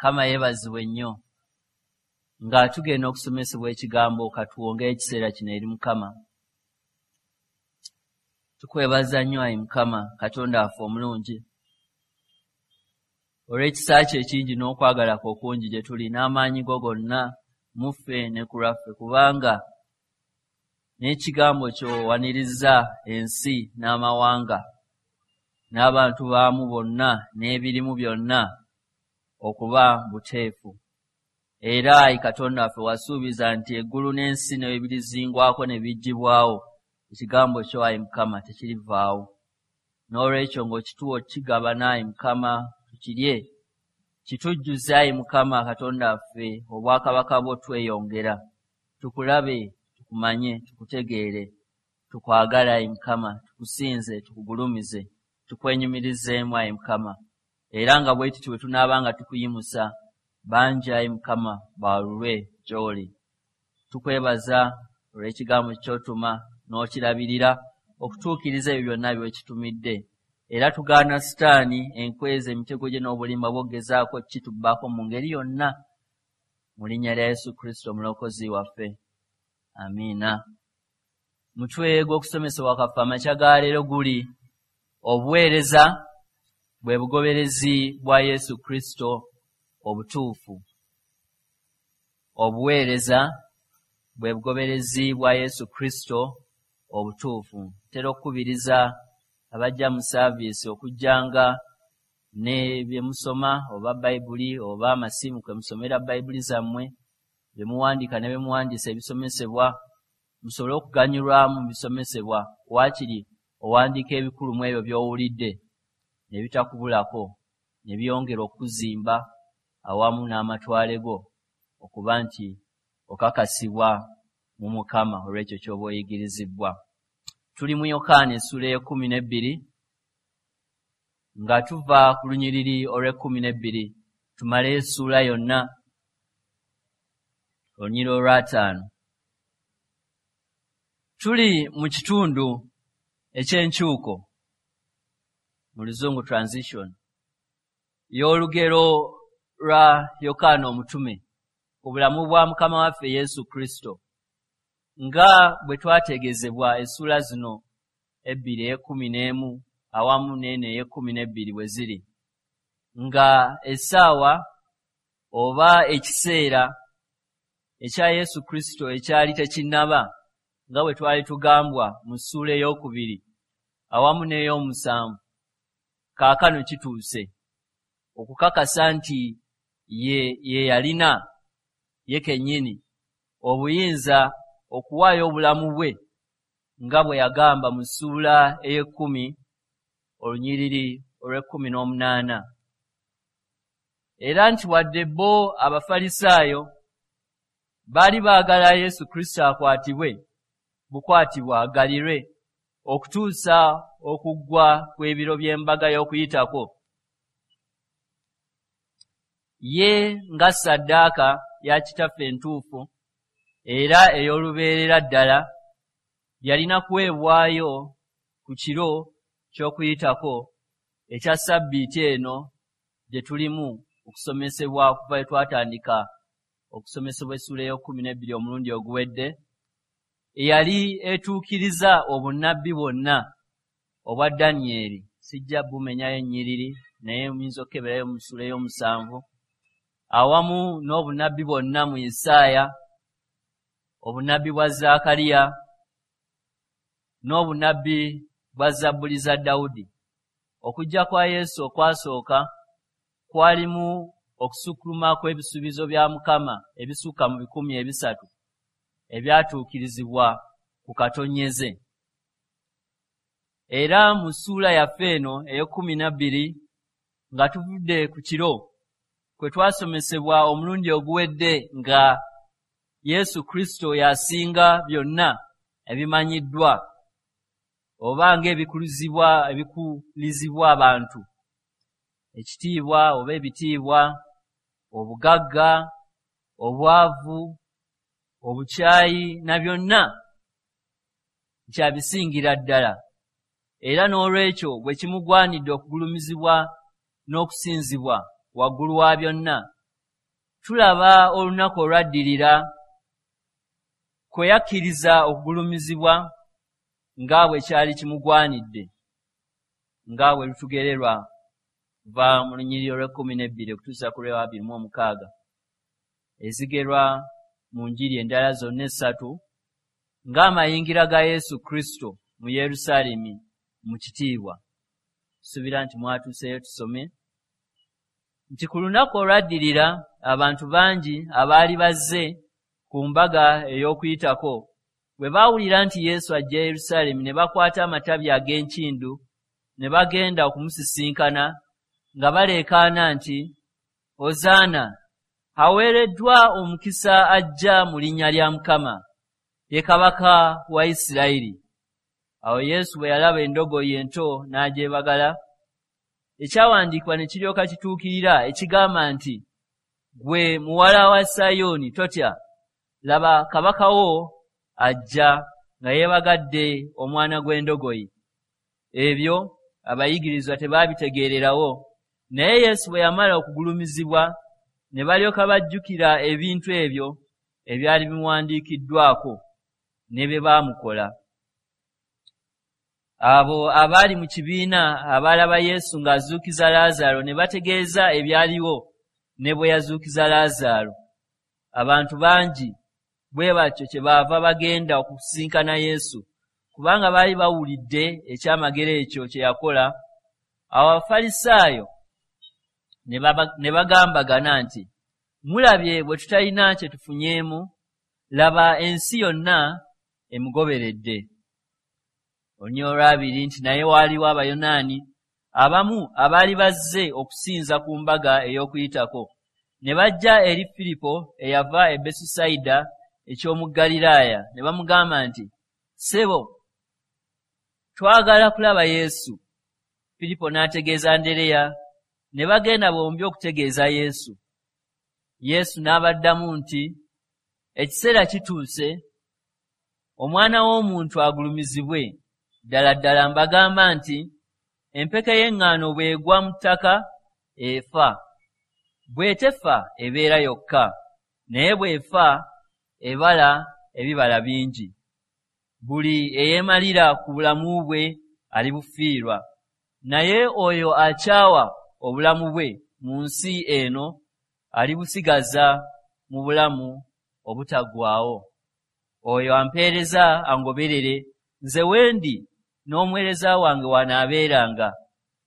Mukama yeebazibwe nnyo. Nga tugenda okusomesebwa ekigambo, katuwongeyo ekiseera kino eri Mukama. Tukwebaza nnyo ayi Mukama Katonda waffe omulungi, olw'ekisa kyo ekingi n'okwagala kwo okungi gye tuli, n'amaanyi go gonna mu ffe ne ku lwaffe, kubanga n'ekigambo kyo owaniriza ensi n'amawanga n'abantu baamu bonna n'ebirimu byonna okuba buteefu. Era ayi Katonda waffe wasuubiza nti eggulu n'ensi ne birizingwako ne biggyibwawo, ekigambo kyo ayi Mukama tekirivaawo. N'olwekyo ng'okituwa okukigabana ayi Mukama tukirye, kitujjuze ayi Mukama Katonda waffe obwakabaka bwo tweyongera, tukulabe, tukumanye, tukutegeere, tukwagale ayi Mukama, tukusinze, tukugulumize, tukwenyumirizeemu ayi Mukama. Era nga bwe tutyo bwe tunaabanga tukuyimusa, bangi ayi Mukama baalulwe gy'oli. Tukwebaza olw'ekigambo ky'otuma n'okirabirira okutuukiriza ebyo byonna by'okitumidde. Era tugaana Sitaani enkweza emitego gye n'obulimba bw'ogezaako kitubbako mu ngeri yonna, mu linnya lya Yesu Kristo omulokozi waffe. Amiina. Mutwe gw'okusomesebwa kwaffe amakya ga leero guli obuweereza bwe bugoberezi bwa Yesu Kristo obutuufu. Obuweereza bwe bugoberezi bwa Yesu Kristo obutuufu. Ntera okukubiriza abajja mu saaviisi okujjanga ne bye musoma, oba Bayibuli oba amasimu kwe musomera Bayibuli zammwe, bye muwandiika ne bye muwandiisa ebisomesebwa, musobole okuganyulwamu mu bisomesebwa. Waakiri owandiika ebikulu mu ebyo by'owulidde ne bitakubulako, ne byongera okuzimba awamu n'amatwale go okuba nti okakasibwa mu Mukama olw'ekyo ky'oba oyigirizibbwa. Tuli mu Yokaana essuula ey'e12 nga tuva ku lunyiriri olw'e12 tumale essuula yonna, olunyiriri olw'ataano. Tuli mu kitundu eky'enkyuko, mu Luzungu transition, y'olugero lwa Yokaana omutume ku bulamu bwa Mukama waffe Yesu Kristo, nga bwe twategeezebwa essuula zino ebbiri, ey'e11 awamu n'eno ey'e12 bwe ziri, nga essaawa oba ekiseera ekya Yesu Kristo ekyali tekinnaba, nga bwe twali tugambwa mu ssuula ey'okubiri awamu n'ey'omusanvu, kaakano kituuse okukakasa nti ye yalina ye kennyini obuyinza okuwaayo obulamu bwe, nga bwe yagamba mu ssuula ey'e10 olunyiriri olw'e18. Era nti wadde bo Abafalisaayo baali baagala Yesu Kristo akwatibwe bukwatibwa agalirwe okutuusa okuggwa kw'ebiro by'embaga y'Okuyitako, ye nga ssaddaaka ya Kitaffe entuufu era ey'olubeerera ddala yalina kuweebwayo ku kiro ky'Okuyitako ekya Ssabbiiti eno gye tulimu okusomesebwa okuva lwe twatandika okusomesebwa essuula ey'e12 omulundi oguwedde, eyali etuukiriza obunnabbi bwonna obwa Danyeri. Sijja bumenyayo ennyiriri, naye muyinza okukeberayo mu ssuula ey'omusanvu, awamu n'obunnabbi bwonna mu Isaaya, obunnabbi bwa Zaakaliya n'obunnabbi bwa Zabbuli za Dawudi. Okujja kwa Yesu okwasooka kwalimu okusukkuluma kw'ebisuubizo bya Mukama ebisukka mu 300 ebyatuukirizibwa ku katonyeze. Era mu ssuula yaffe eno ey'e12 nga tuvudde ku kiro kwe twasomesebwa omulundi oguwedde nga Yesu Kristo y'asinga byonna ebimanyiddwa oba ng'ebikulizibwa abantu, ekitiibwa oba ebitiibwa, obugagga, obwavu, obukyayi na byonna nkyabisingira ddala. Era n'olwekyo bwe kimugwanidde okugulumizibwa n'okusinzibwa waggulu wa byonna, Tulaba olunaku olwaddirira kwe yakkiriza okugulumizibwa nga bwe kyali kimugwanidde, nga bwe lutugererwa kuva mu lunyiriri olw'e12 okutuusa ku lw'e26, ezigerwa mu njiri endala zonna essatu ng'amayingira ga Yesu Kristo mu Yerusaalemi mu kitiibwa. Suubira nti mwatuuseeyo tusome nti ku lunaku olwaddirira abantu bangi abaali bazze ku mbaga ey'Okuyitako bwe baawulira nti Yesu ajja Yerusaalemi, ne bakwata amatabi ag'enkindu ne bagenda okumusisinkana nga baleekaana nti, Ozaana, aweereddwa omukisa ajja mu linnya lya Mukama, ye kabaka wa Isirayiri. Awo Yesu bwe yalaba endogoyi ento n'agyebagala, ekyawandiikibwa ne kiryoka kituukirira ekigamba nti, Ggwe muwala wa Sayuuni, totya, laba kabaka wo ajja nga yeebagadde omwana gw'endogoyi. Ebyo abayigirizwa tebaabitegeererawo, naye Yesu bwe yamala okugulumizibwa ne balyoka bajjukira ebintu ebyo ebyali bimuwandiikiddwako ne bye baamukola. Abo abaali mu kibiina abaalaba Yesu ng'azuukiza Laazaalo ne bategeeza ebyaliwo ne bwe yazuukiza Laazaalo. Abantu bangi bwe batyo kyebaava bagenda okusisinkana Yesu, kubanga baali bawulidde ekyamagero ekyo kye yakola. Awo Abafalisaayo ne bagambagana nti, Mulabye bwe tutalina kye tufunyeemu, laba ensi yonna emugoberedde. Olunyiriri olwabiri nti naye waaliwo Abayonaani abamu abaali bazze okusinza ku mbaga ey'Okuyitako, ne bajja eri Firipo eyava e Besusayida eky'omu Ggaliraaya, ne bamugamba nti, Ssebo, twagala kulaba Yesu. Firipo n'ategeeza Andereya, ne bagenda bombi okutegeeza Yesu. Yesu n'abaddamu nti, Ekiseera kituuse Omwana w'Omuntu agulumizibwe. Ddala ddala mbagamba nti empeke y'eŋŋaano bw'egwa mu ttaka efa. Bw'etefa ebeera yokka, naye bw'efa ebala ebibala bingi. Buli eyeemalira ku bulamu bwe alibufiirwa, naye oyo akyawa obulamu bwe mu nsi eno alibusigaza mu bulamu obutaggwaawo. Oyo ampeereza angoberere, nze we ndi n'omuweereza wange w'anaabeeranga,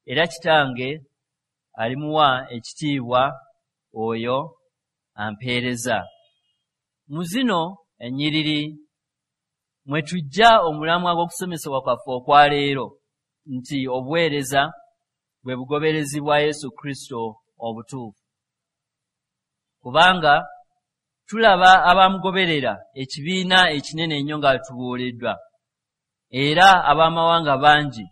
era Kitange alimuwa ekitiibwa oyo ampeereza. Mu zino ennyiriri mwe tujja omulamwa gw'okusomesebwa kwaffe okwa leero nti obuweereza bwe bugoberezi bwa Yesu Kristo obutuufu. Kubanga tulaba abamugoberera ekibiina ekinene ennyo nga tubuuliddwa, era ab'amawanga bangi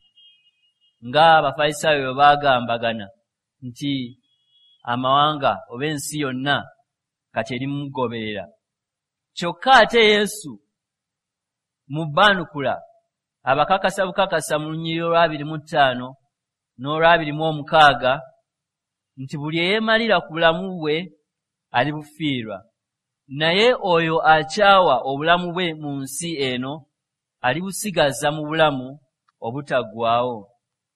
nga Abafalisaayo bwe baagambagana nti amawanga oba ensi yonna kati eri mumugoberera. Kyokka ate Yesu mu bbaanukula abakakasa bukakasa mu lunyiriri olw'25 n'olw'26 nti buli eyeemalira ku bulamu bwe alibufiirwa, naye oyo akyawa obulamu bwe mu nsi eno alibusigaza mu bulamu obutaggwaawo.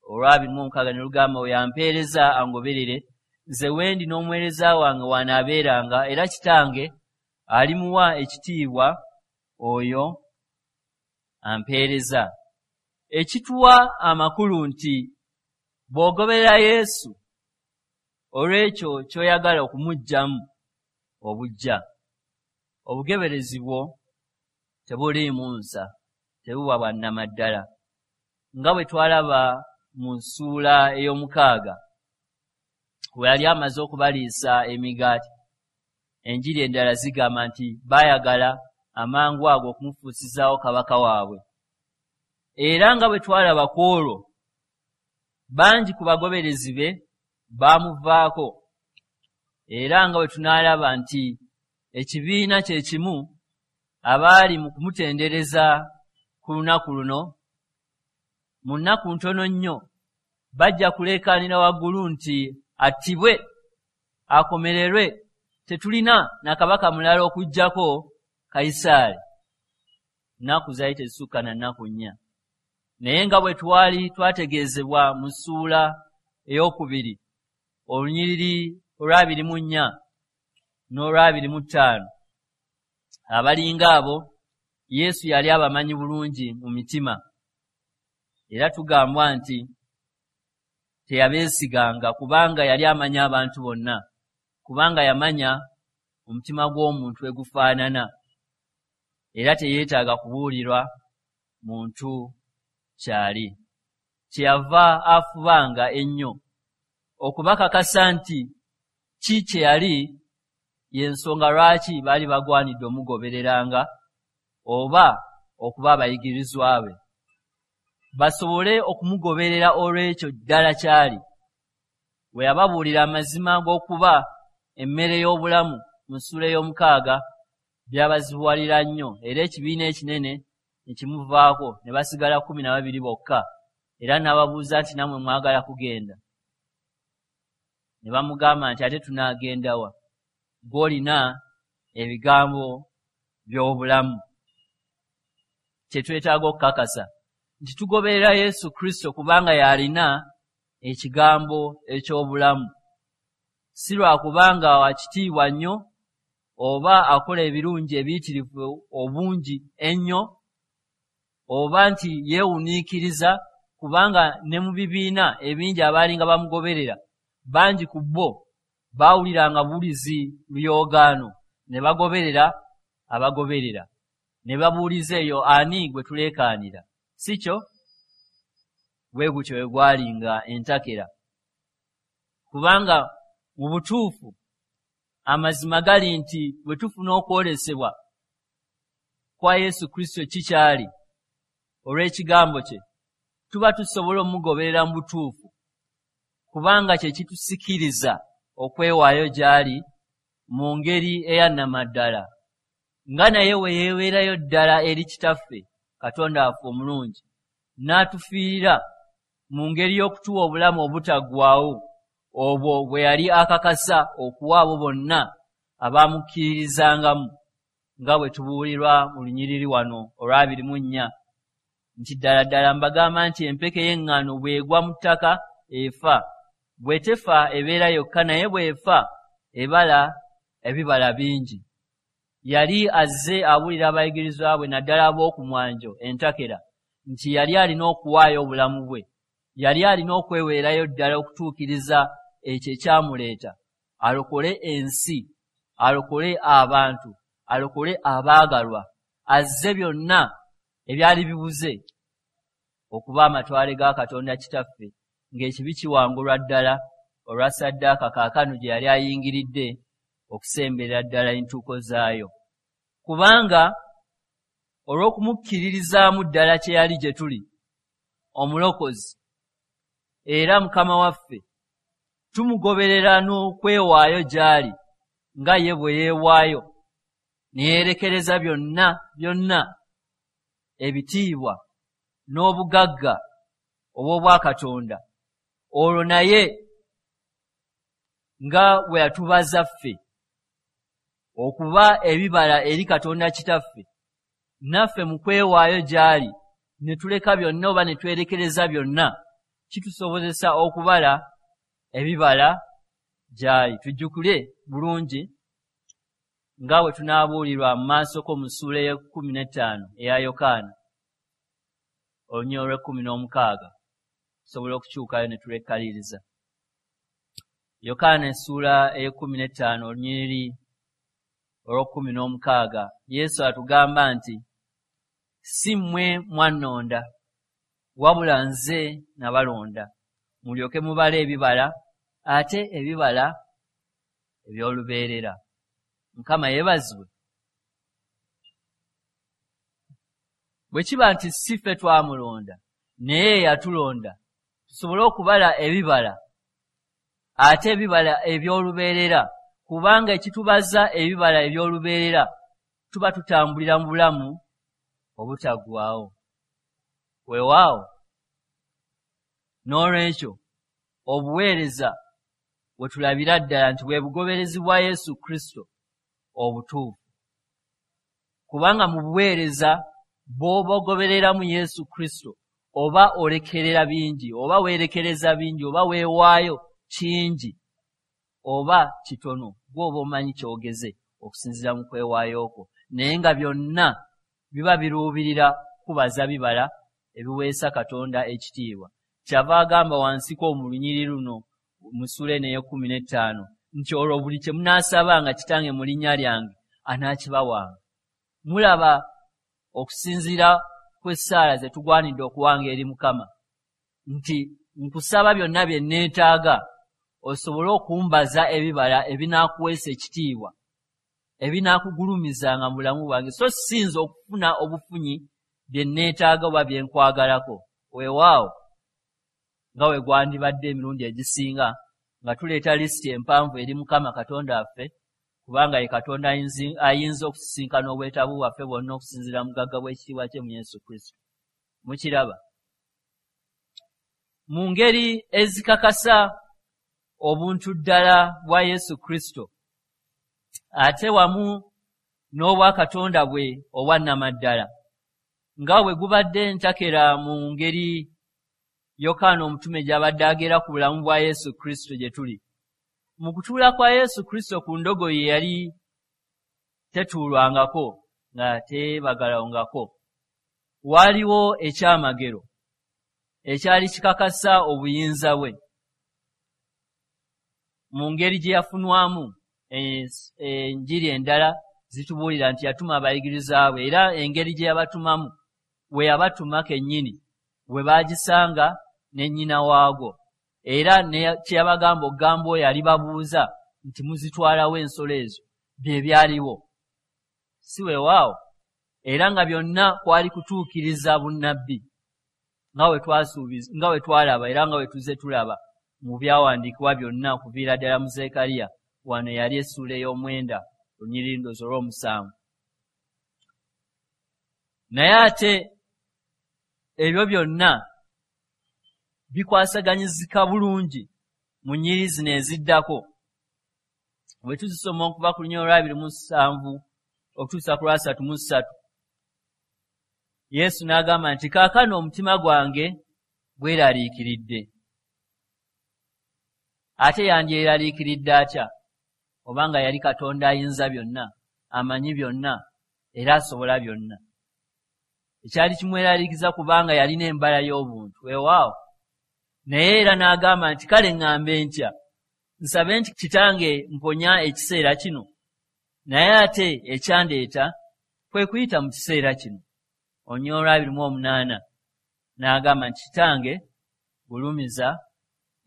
Olw'26 ne lugamba, oyo ampeereza angoberere, nze we ndi n'omuweereza wange w'anaabeeranga, era Kitange alimuwa ekitiibwa oyo ampeereza. Ekituwa amakulu nti bw'ogoberera Yesu olw'ekyo ky'oyagala okumuggyamu obuggya, obugoberezi bwo tebuliimu nsa, tebuba bwa nnamaddala. Nga bwe twalaba mu ssuula ey'omukaaga, bwe yali amaze okubaliisa emigaati, enjiri endala zigamba nti baayagala amangu ago okumufuusizaawo kabaka waabwe. Era nga bwe twalaba ku olwo, bangi ku bagoberezi be baamuvaako. Era nga bwe tunaalaba nti ekibiina kye kimu abaali mu kumutendereza ku lunaku luno, mu nnaku ntono nnyo bajja kuleekaanira waggulu nti attibwe, akomererwe, Tetulina na kabaka mulala okuggyako Kayisaali. Nnaku zaali tezisukka na nnaku 4. Naye nga bwe twali twategeezebwa mu ssuula 2 olunyiriri olwa 24 n'olwa 25, abalinga abo Yesu yali abamanyi bulungi mu mitima. Era tugambwa nti teyabeesiganga kubanga yali amanyi abantu bonna, kubanga yamanya omutima gw'omuntu we gufaanana, era teyeetaaga kubuulirwa muntu kyali. Kyeyava afubanga ennyo okubakakasa nti ki kye yali y'ensonga lwaki baali bagwanidde omugobereranga oba okuba abayigirizwa be, basobole okumugoberera olw'ekyo ddala kyali. Bwe yababuulira amazima g'okuba emmere y'obulamu mu ssuula 6, byabazibuwalira nnyo, era ekibiina ekinene ne kimuvaako ne basigala 12 bokka. Era n'ababuuza nti, nammwe mwagala kugenda? Ne bamugamba nti, ate tunaagenda wa? Gw'olina ebigambo by'obulamu. Kye twetaaga okukakasa nti tugoberera Yesu Kristo kubanga y'alina ekigambo eky'obulamu, si lwakubanga wa kitiibwa nnyo oba akola ebirungi ebiyitirivu obungi ennyo, oba nti yeewuniikiriza, kubanga ne mu bibiina ebingi abaalinga bamugoberera bangi ku bo baawuliranga buwulizi luyoogaano ne bagoberera abagoberera ne babuuliza eyo ani gwe tuleekaanira, si kyo? Bwe gutyo bwe gwalinga entakera, kubanga mu butuufu amazima gali nti bwe tufuna okwolesebwa kwa Yesu Kristo kikyali olw'ekigambo kye, tuba tusobola omugoberera mu butuufu, kubanga kye kitusikiriza okwewaayo gy'ali mu ngeri eyannamaddala, nga naye we yeeweerayo ddala eri Kitaffe Katonda waffe omulungi, n'atufiirira mu ngeri y'okutuwa obulamu obutaggwaawo, obwo bwe yali akakasa okuwa abo bonna abamukkiririzangamu, nga bwe tubuulirwa mu lunyiriri wano olwa 24 nti, ddala ddala mbagamba nti empeke y'eŋŋaano bw'egwa mu ttaka efa, bwe tefa ebeera yokka, naye bw'efa ebala ebibala bingi. Yali azze abuulira abayigirizwa bwe, naddala ab'oku mwanjo entakera, nti yali alina okuwaayo obulamu bwe, yali alina okweweerayo ddala okutuukiriza ekyo ekyamuleeta, alokole ensi, alokole abantu, alokole abaagalwa, azze byonna ebyali bibuze okuba amatwale ga Katonda Kitaffe, ng'ekibi kiwangulwa ddala olwa ssaddaaka kaakano gye yali ayingiridde okusemberera ddala entuuko zaayo. Kubanga olw'okumukkiririzaamu ddala kye yali gye tuli, Omulokozi era Mukama waffe, tumugoberera n'okwewaayo gy'ali nga ye bwe yeewaayo ne yeerekereza byonna byonna ebitiibwa n'obugagga obw'obwakatonda, olwo naye nga bwe yatubaza ffe okuba ebibala eri Katonda Kitaffe, naffe mu kwewaayo gy'ali ne tuleka byonna oba ne twerekereza byonna, kitusobozesa okubala ebibala gy'ali. Tujjukire bulungi nga bwe tunaabuulirwa mu maasoko mu ssuula 15 eya Yokaana, olunyiriri olw'e16, tusobola okukyukayo ne tulekkaliriza. Yokaana essuula 15 olunyiriri olw'e16, Yesu atugamba nti, si mmwe mwannonda, wabula nze nabalonda, mulyoke mubale ebibala, ate ebibala eby'olubeerera. Mukama yeebazibwe. Bwe kiba nti si ffe twamulonda, naye yatulonda, tusobole okubala ebibala, ate ebibala eby'olubeerera, kubanga ekitubaza ebibala eby'olubeerera tuba tutambulira mu bulamu obutaggwaawo. Weewaawo, n'olwekyo obuweereza We tulabira ddala nti bwe bugoberezi bwa Yesu Kristo obutuufu, kubanga mu buweereza bw'oba ogobereramu Yesu Kristo oba olekerera bingi, oba weerekereza bingi, oba weewaayo kingi oba kitono, gw'oba omanyi ky'ogeze okusinziira mu kwewaayo kwo, naye nga byonna biba biruubirira kubaza bibala ebiweesa Katonda ekitiibwa. Kyava agamba wansiko mu lunyiriri luno mu ssuula eno ey'e-15 nti olwo buli kye munaasabanga Kitange mu linnya lyange anaakibawanga. Mulaba okusinziira kw'essaala ze tugwanidde okuwanga eri Mukama nti nkusaba byonna bye neetaaga osobole okumbaza ebibala ebinaakuweesa ekitiibwa, ebinaakugulumizanga mu bulamu bwange, so sinza okufuna obufunyi bye neetaaga oba bye nkwagalako. Weewaawo nga we gwandibadde emirundi egisinga nga tuleeta lisiti empanvu eri Mukama Katonda waffe, kubanga ye Katonda ayinza okusisinkana obwetaavu bwaffe bwonna okusinziira mu bugagga bw'ekitiibwa kye mu Yesu Kristo. Mukiraba mu ngeri ezikakasa obuntu ddala bwa Yesu Kristo ate wamu n'obwakatonda bwe obwannamaddala, nga bwe gubadde ntakera mu ngeri Yokaana omutume gy'abadde agera ku bulamu bwa Yesu Kristo gye tuli. Mu kutuula kwa Yesu Kristo ku ndogoyi eyali tetuulwangako nga teebagalwangako, waaliwo ekyamagero ekyali kikakasa obuyinza bwe mu ngeri gye yafunwamu. Enjiri endala zitubuulira nti yatuma abayigiriza bwe, era engeri gye yabatumamu, we yabatuma kennyini we baagisanga ne nnyina waagwo, era kye yabagamba okugamba oyo alibabuuza nti muzitwalawo ensolo ezo, bye byaliwo, si weewaawo? Era nga byonna kwali kutuukiriza bunnabbi nga we twasuubiza, nga we twalaba era nga we tuzze tulaba mu byawandiikibwa byonna okuviira ddala mu Zekkaliya. Wano yali essuula ey'omwenda olunyiriri ndowooza olw'omusanvu. Naye ate ebyo byonna bikwasaganyizika bulungi mu nnyiriri zino eziddako bwe tuzisoma okuva ku lunyiriri olwa 27 okutuusa ku lwa 33. Yesu n'agamba nti kaakano omutima gwange gweraliikiridde. Ate yandyeraliikiridde atya obanga yali Katonda ayinza byonna, amanyi byonna era asobola byonna? Ekyali kimweraliikiriza kubanga yalina embala y'obuntu. Weewaawo, naye era n'agamba nti kale ŋŋambe ntya? Nsabe nti Kitange mponya ekiseera kino? Naye ate ekyandeeta kwe kuyita mu kiseera kino. Olunyiriri olwa 28 n'agamba nti Kitange, gulumiza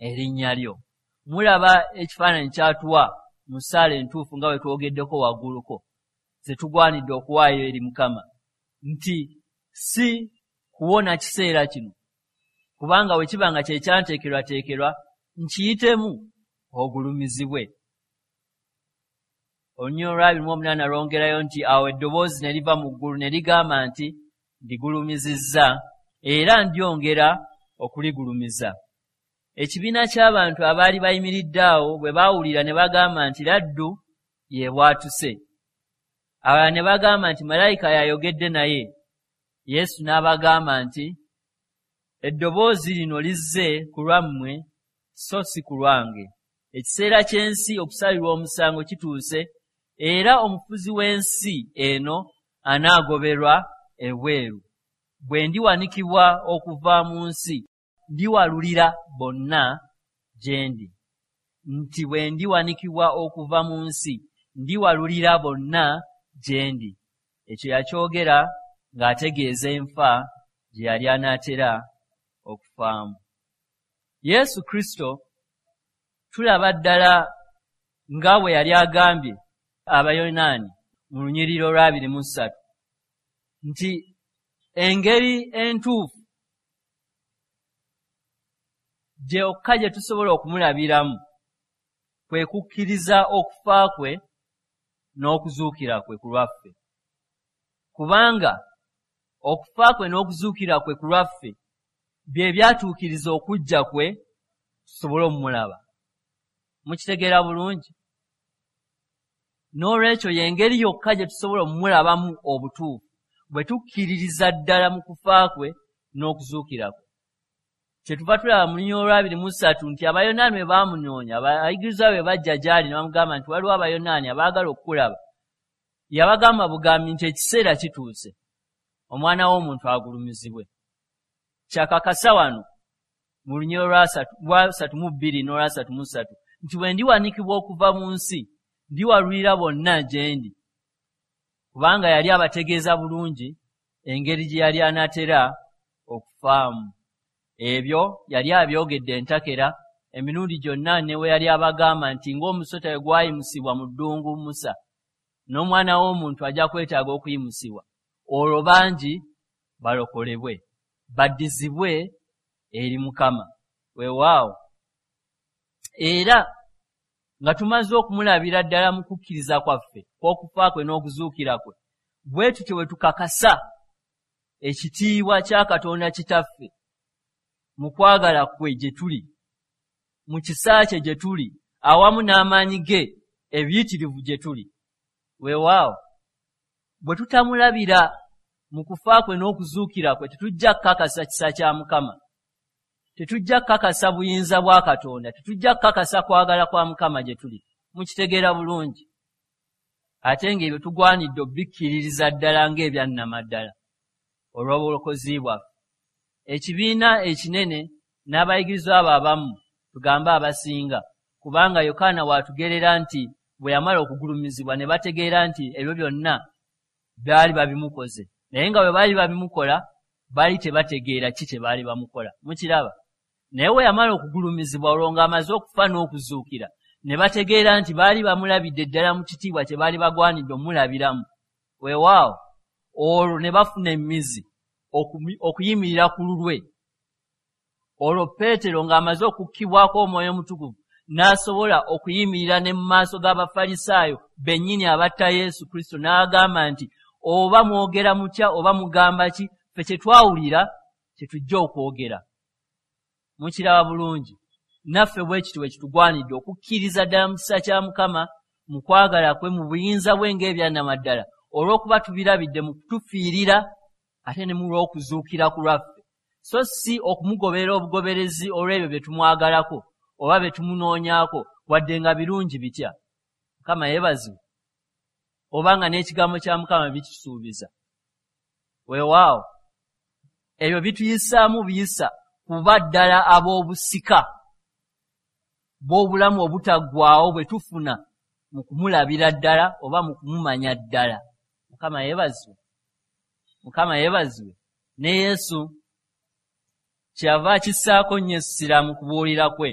erinnya lyo. Mulaba ekifaananyi kyatuwa mu ssaala entuufu nga bwe twogeddeko wagguluko ze tugwanidde okuwaayo eri Mukama, nti si kuwona kiseera kino, kubanga bwe kiba nga kye kyanteekerwateekerwa nkiyitemu ogulumizibwe. Olunyiriri olwa 28 lwongerayo nti awo eddoboozi ne liva mu ggulu ne ligamba nti ndigulumizizza era ndyongera okuligulumiza. Ekibiina ky'abantu abaali bayimiridde awo bwe baawulira ne bagamba nti laddu yebwatuse. Abalala ne bagamba nti malayika yayogedde naye. Yesu n'abagamba nti eddoboozi lino lizze ku lwammwe so si ku lwange. Ekiseera ky'ensi okusalirwa omusango kituuse, era omufuzi w'ensi eno anaagoberwa ebweru. Bwe ndiwanikibwa okuva mu nsi, ndiwalulira bonna gye ndi. Nti bwe ndiwanikibwa okuva mu nsi, ndiwalulira bonna gye ndi. Ekyo yakyogera ng'ategeeza enfa gye yali anaatera okufaamu. Yesu Kristo tulaba ddala nga bwe yali agambye Abayonaani mu lunyiriri olwa 23 nti engeri entuufu gyokka gye tusobola okumulabiramu kwe kukkiriza okufa kwe n'okuzuukira kwe ku lwaffe, kubanga okufa kwe n'okuzuukira kwe ku lwaffe bye byatuukiriza okujja kwe tusobole omulaba. Mukitegeera bulungi? N'olwekyo y'engeri yokka gye tusobola omulabamu obutuufu, bwe tukkiririza ddala mu kufa kwe n'okuzuukira kwe. Kyetuva tulaba mu lunyiriri olwa 23 nti Abayonaani bwe baamunoonya, abayigirizwa bwe bajja gy'ali ne bamugamba nti waliwo Abayonaani abaagala okukulaba, yabagamba bugambi nti ekiseera kituuse Omwana w'omuntu agulumizibwe. Kyakakasa wano mu lunyiriri olwa 32 n'olwa 33 nti bwe ndiwanikibwa okuva mu nsi, ndiwalulira bonna gye ndi, kubanga yali abategeeza bulungi engeri gye yali anaatera okufaamu. Ebyo yali abyogedde entakera emirundi gyonna, ne we yali abagamba nti ng'omusota bwe gwayimusibwa mu ddungu Musa, n'Omwana w'omuntu ajja kwetaaga okuyimusibwa, olwo bangi balokolebwe, baddizibwe eri Mukama. Weewaawo, era nga tumaze okumulabira ddala mu kukkiriza kwaffe kw'okufa kwe n'okuzuukira kwe, bwe tutyo bwe tukakasa ekitiibwa kya Katonda Kitaffe mu kwagala kwe gye tuli, mu kisa kye gye tuli, awamu n'amaanyi ge ebiyitirivu gye tuli. Weewaawo, bwe tutamulabira mu kufa kwe n'okuzuukira kwe, tetujja kukakasa kisa kya Mukama, tetujja kukakasa buyinza bwa Katonda, tetujja kukakasa kwagala kwa Mukama gye tuli. Mukitegeera bulungi? Ate ng'ebyo tugwanidde obikkiririza ddala ng'ebyannamaddala olw'obulokozi bwaffe. Ekibiina ekinene n'abayigirizwa abo abamu, tugambe abasinga, kubanga Yokaana waatugerera nti bwe yamala okugulumizibwa ne bategeera nti ebyo byonna baali babimukoze, naye nga bwe baali babimukola baali tebategeera ki kye baali bamukola. Mukiraba? Naye we yamala okugulumizibwa, olwo ng'amaze okufa n'okuzuukira, ne bategeera nti baali bamulabidde ddala mu kitiibwa kye baali bagwanidde omulabiramu. Weewaawo, olwo ne bafuna emizi okuyimirira ku lulwe. Olwo Peetero ng'amaze okukkibwako Omwoyo Omutukuvu n'asobola okuyimirira ne mu maaso g'Abafalisaayo bennyini abatta Yesu Kristo, n'agamba nti oba mwogera mutya oba mugamba ki, ffe kye twawulira kye tujja okwogera. Mukiraba bulungi? Naffe bwe kityo bwe kitugwanidde okukkiriza ddala mu kisa kya Mukama, mu kwagala kwe, mu buyinza bwe ng'ebyannamaddala, olw'okuba tubirabidde mu kutufiirira ate ne mu lw'okuzuukira ku lwaffe, so si okumugoberera obugoberezi olw'ebyo bye tumwagalako oba bye tumunoonyaako, wadde nga birungi bitya. Mukama yeebazibwe. Oba nga n'ekigambo kya Mukama bikitusuubiza. Weewaawo, ebyo bituyisaamu biyisa kuba ddala ab'obusika bw'obulamu obutaggwaawo bwe tufuna mu kumulabira ddala oba mu kumumanya ddala. Mukama yeebazibwe. Mukama yeebazibwe. Ne Yesu kyeyava akissaako nnyo essira mu kubuulira kwe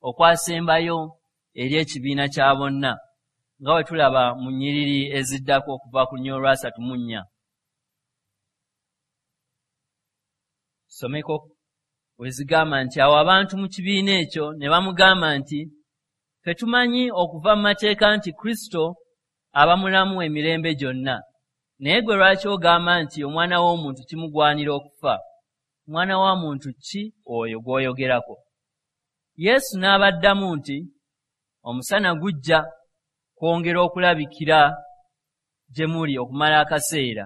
okwasembayo eri ekibiina kya bonna, nga bwe tulaba mu nnyiriri eziddako okuva ku lunyiriri olwa 34. Someko wezigamba nti awo abantu mu kibiina ekyo ne bamugamba nti ffe tumanyi okuva mu mateeka nti Kristo aba mulamu emirembe gyonna, naye gwe lwaki ogamba nti Omwana w'omuntu kimugwanira okufa? Mwana wa muntu ki oyo gw'oyogerako? Yesu n'abaddamu nti omusana gujja kwongera okulabikira gye muli okumala akaseera.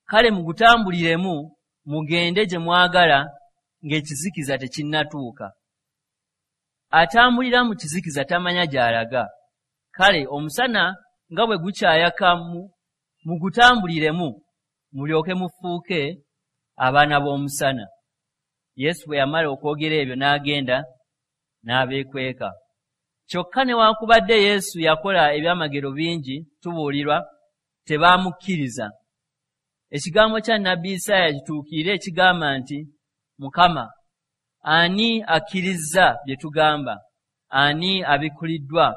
Kale mugutambuliremu mugende gye mwagala ng'ekizikiza tekinnatuuka. Atambulira mu kizikiza tamanya gy'alaga. Kale omusana nga bwe gukyayaka, mugutambuliremu mulyoke mufuuke abaana b'omusana. Yesu bwe yamala okwogera ebyo n'agenda n'abeekweka. Kyokka newankubadde Yesu yakola ebyamagero bingi, tubuulirwa tebaamukkiriza. Ekigambo kya nnabbi Isaaya kituukirire ekigamba nti Mukama, ani akkirizza bye tugamba? Ani abikkuliddwa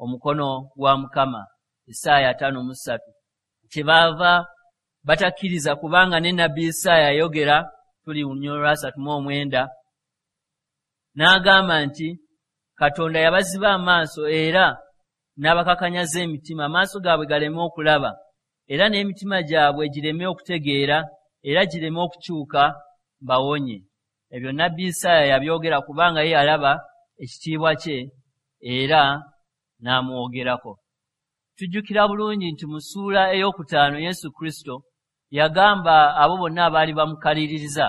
omukono gwa Mukama? Isaaya 53. Kyebaava batakkiriza, kubanga ne nnabbi Isaaya yayogera, tuli lunyiriri olwa 39, n'agamba nti Katonda yabaziba amaaso era n'abakakanyaza emitima, amaaso gaabwe galeme okulaba era n'emitima gyabwe gireme okutegeera era gireme okukyuka mbawonye. Ebyo nnabbi Isaaya yabyogera kubanga ye yalaba ekitiibwa kye era n'amwogerako. Tujjukira bulungi nti mu ssuula 5 Yesu Kristo yagamba abo bonna abaali bamukaliririza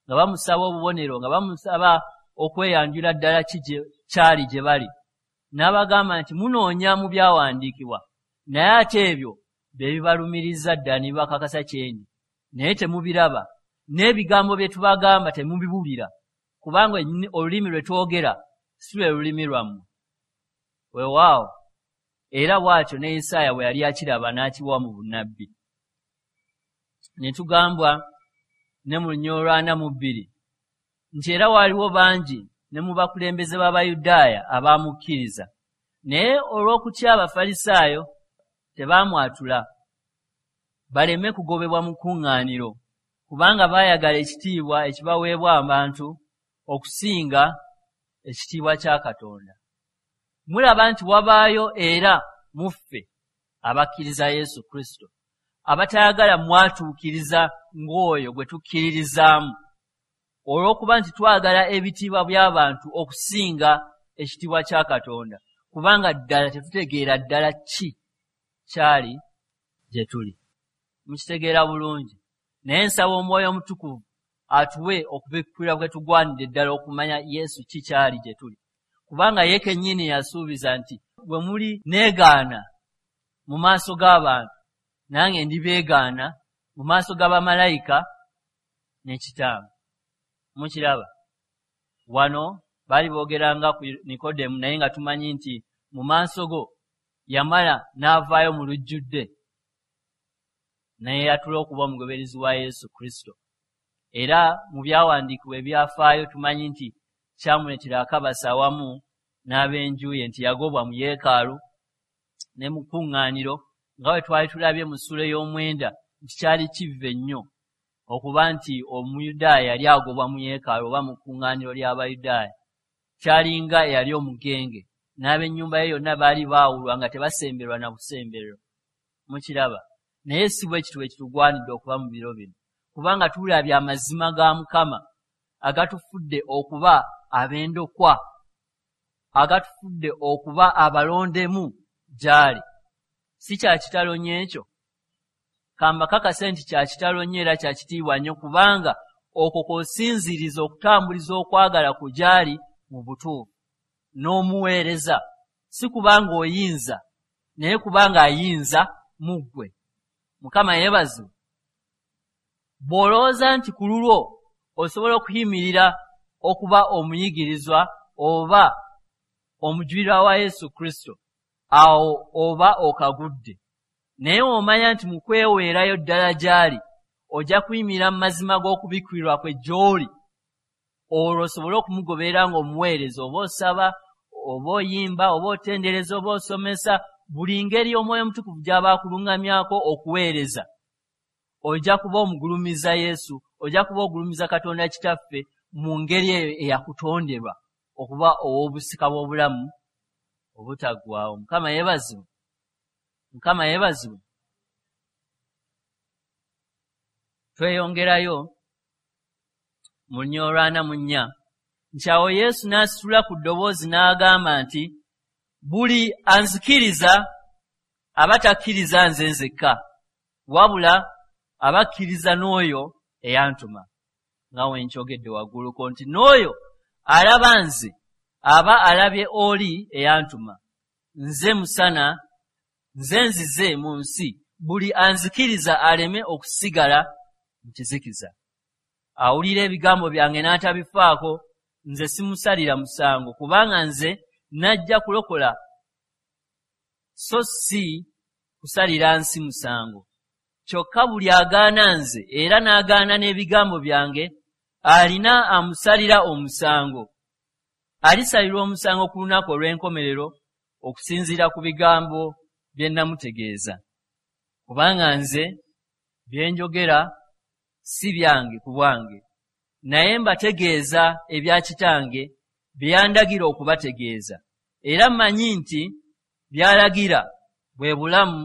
nga bamusaba obubonero, nga bamusaba okweyanjula ddala ki kyali gye bali, n'abagamba nti munoonya mu byawandiikibwa, naye ate ebyo bye bibalumiriza ddala ne bibakakasa kyendi, naye temubiraba, n'ebigambo bye tubagamba temubiwulira, kubanga olulimi lwe twogera si lwe lulimi lwammwe. Weewaawo, era bw'atyo ne Isaaya bwe yali akiraba n'akiwa mu bunnabbi. Ne tugambwa ne mu 42 nti era waaliwo bangi ne mu bakulembeze b'Abayudaaya abaamukkiriza, naye olw'okutya Abafalisaayo tebaamwatula baleme kugobebwa mu kkuŋŋaaniro, kubanga baayagala ekitiibwa ekibaweebwa abantu okusinga ekitiibwa kya Katonda. Mulaba nti wabaayo era mu ffe abakkiriza Yesu Kristo abatayagala mwatuukiriza ng'oyo gwe tukkiririzaamu, olw'okuba nti twagala ebitiibwa by'abantu okusinga ekitiibwa kya Katonda, kubanga ddala tetutegeera ddala ki kyali gye tuli. Mukitegeera bulungi. Naye nsaba Omwoyo Omutukuvu atuwe okubikkulirwa kwe tugwanidde ddala okumanya Yesu ki kyali gye tuli, kubanga ye kennyini yasuubiza nti bwe muli neegaana mu maaso g'abantu, nange ndibeegaana mu maaso g'abamalayika ne Kitange. Mukiraba, wano baali boogeranga ku Nikodemu, naye nga tumanyi nti mu maaso go yamala n'avaayo mu lujjudde naye yatula okuba omugoberezi wa Yesu Kristo. Era mu byawandiikibwa ebyafaayo tumanyi nti kyamuleetera akabasa awamu n'ab'enju ye, nti yagobwa mu yeekaalu ne mu kkuŋŋaaniro, nga bwe twali tulabye mu ssuula 9 nti kyali kivve nnyo okuba nti Omuyudaaya yali agobwa mu yeekaalu oba mu kkuŋŋaaniro ly'Abayudaaya. Kyalinga eyali omugenge, n'ab'ennyumba ye yonna baali baawulwa nga tebasemberwa na busemberero. Mukiraba, naye si bwe kityo bwe kitugwanidde okuba mu biro bino, kubanga tulabye amazima ga Mukama agatufudde okuba ab'endokwa, agatufudde okuba abalondemu gy'ali. Si kya kitalo nnyo ekyo? Kambakakase nti kya kitalo nnyo era kya kitiibwa nnyo, kubanga okwo kw'osinziiriza okutambuliza okwagala ku gy'ali mu butuufu n'omuweereza, si kubanga oyinza, naye kubanga ayinza mu ggwe. Mukama yeebazibwe. Bw'olowooza nti ku lulwo osobola okuyimirira okuba omuyigirizwa oba omujulirwa wa Yesu Kristo, awo oba okagudde. Naye omanya nti mu kweweerayo ddala gy'ali, ojja kuyimirira mu mazima g'okubikkulirwa kwe gy'oli, olwo osobole okumugoberera ng'omuweereza, oba osaba, oba oyimba, oba otendereza, oba osomesa, buli ngeri Omwoyo Omutukuvu gy'aba akuluŋŋamyako okuweereza. Ojja kuba omugulumiza Yesu, ojja kuba ogulumiza Katonda Kitaffe mu ngeri eyo eyakutonderwa okuba ow'obusika bw'obulamu obutaggwaawo. Mukama yeebazibwe. Mukama yeebazibwe. Tweyongerayo mu 44 nti awo Yesu n'asitula ku ddoboozi n'agamba nti buli anzikiriza aba takkiriza nze nzekka, wabula abakkiriza n'oyo eyantuma. Nga we nkyogedde wagguluko nti n'oyo alaba nze aba alabye oli eyantuma. Nze musana, nze nzize mu nsi, buli anzikiriza aleme okusigala mu kizikiza. Awulira ebigambo byange n'atabifaako, nze simusalira musango, kubanga nze najja kulokola so si kusalira nsi musango. Kyokka buli agaana nze era n'agaana n'ebigambo byange, alina amusalira omusango. Alisalirwa omusango ku lunaku olw'enkomerero okusinziira ku bigambo bye namutegeeza. Kubanga nze bye njogera si byange ku bwange, naye mbategeeza ebya Kitange bye yandagira okubategeeza. Era mmanyi nti by'alagira bwe bulamu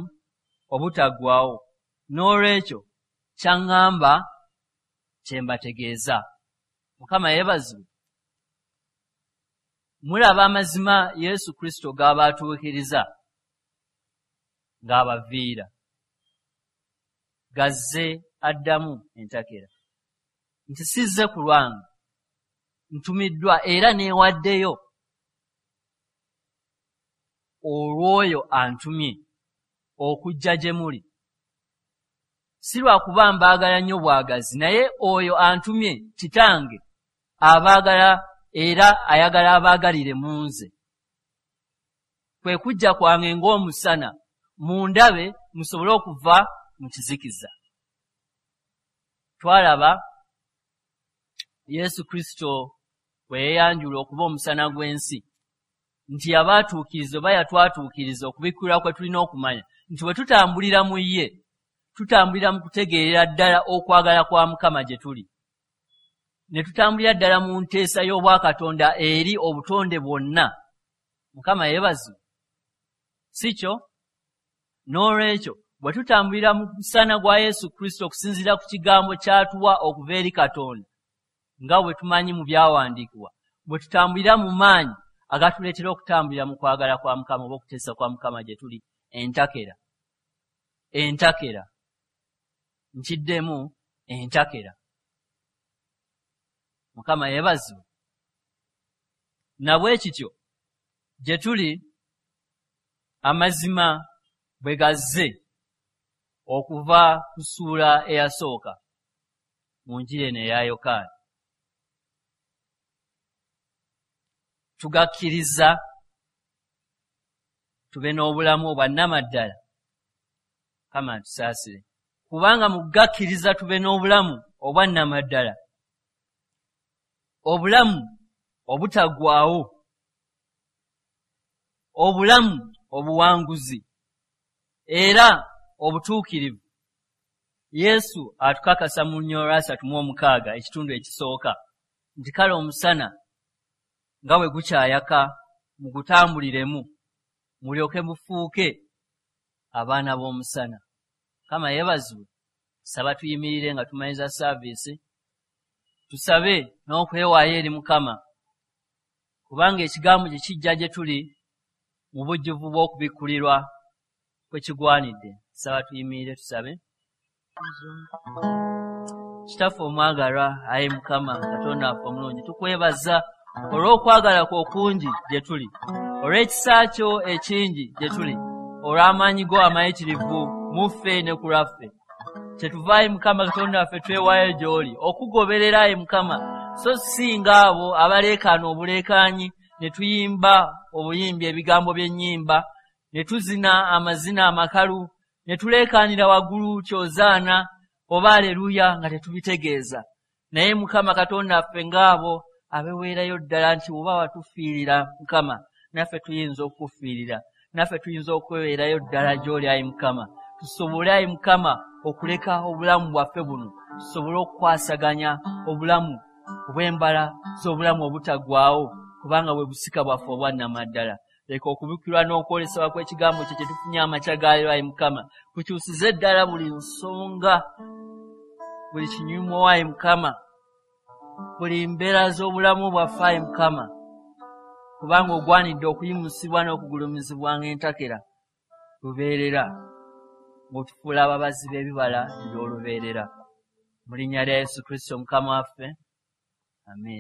obutaggwaawo. N'olwekyo kyaŋŋamba kye mbategeeza. Mukama yeebazibwe. Mulaba amazima Yesu Kristo g'abaatuukiriza ng'abaviira, gazze addamu entakera nti sizze ku lwange, ntumiddwa era neewaddeyo olw'oyo antumye okujja gye muli. Si lwakuba mbaagala nnyo bwagazi, naye oyo antumye Kitange abaagala era ayagala abaagalire mu nze. Kwe kujja kwange ng'omusana, mundabe musobole okuva mu kizikiza. Twalaba Yesu Kristo bwe yeeyanjula okuba omusana gw'ensi, nti yabaatuukiriza oba yatwatuukiriza okubikkulirwa kwe tulina okumanya nti bwe tutambulira mu ye, tutambulira mu kutegeerera ddala okwagala kwa Mukama gye tuli, ne tutambulira ddala mu nteesa y'Obwakatonda eri obutonde bwonna. Mukama yeebazibwe, si kyo? N'olwekyo bwe tutambulira mu musana gwa Yesu Kristo okusinziira ku kigambo ky'atuwa okuva eri Katonda, nga bwe tumanyi mu byawandiikibwa, bwe tutambulira mu maanyi agatuleetera okutambulira mu kwagala kwa Mukama oba okuteesa kwa Mukama gye tuli, entakera, entakera, nkiddemu entakera. Mukama yeebazibwe. Na bwe kityo gye tuli amazima bwe gazze okuva ku ssuula eyasooka mu njiri eno eya Yokaana, tugakkiriza tube n'obulamu obwa nnamaddala. Mukama atusaasire, kubanga mu kugakkiriza tube n'obulamu obwa nnamaddala, obulamu obutaggwaawo, obulamu obuwanguzi era obutuukirivu. Yesu atukakasa mu lunyiriri 36 ekitundu ekisooka nti kale omusana nga bwe gukyayaka mugutambuliremu, mulyoke mufuuke abaana b'omusana. Mukama yeebazibwe. Saba tuyimirire nga tumaliza saaviisi, tusabe n'okwewaayo eri Mukama, kubanga ekigambo kye kijja gye tuli mu bujjuvu bw'okubikkulirwa kwe kigwanidde. Saba tuyimirire tusabe. Kitaffe omwagalwa, ayi Mukama Katonda waffe omulungi, tukwebaza olw'okwagala kwo okungi gye tuli, olw'ekisa kyo ekingi gye tuli, olw'amaanyi go amayitirivu mu ffe ne ku lwaffe. Kyetuva ayi Mukama Katonda waffe twewaayo gy'oli okugoberera ayi Mukama, so si ng'abo abaleekaana obuleekaanyi ne tuyimba obuyimbi ebigambo by'ennyimba, ne tuzina amazina amakalu, ne tuleekaanira waggulu kyozaana oba aleluya nga tetubitegeeza. Naye Mukama Katonda waffe ng'abo abeweerayo ddala nti oba watufiirira Mukama, naffe tuyinza okukufiirira, naffe tuyinza okweweerayo ddala gy'oli ayi Mukama, tusobole ayi Mukama okuleka obulamu bwaffe buno, tusobole okukwasaganya obulamu obw'embala z'obulamu obutaggwaawo, kubanga bwe busika bwaffe obwa nnamaddala. Leka okubikkulirwa n'okwolesebwa kw'ekigambo kye kye tufunye amakya ga leero ayi Mukama kukyusize ddala buli nsonga, buli kinyumo ayi Mukama, buli mbeera z'obulamu bwaffe ayi Mukama, kubanga ogwanidde okuyimusibwa n'okugulumizibwa ng'entakera lubeerera, ng'otufuula ababazi b'ebibala eby'olubeerera. Mu linnya lya Yesu Kristo Mukama waffe, amiina.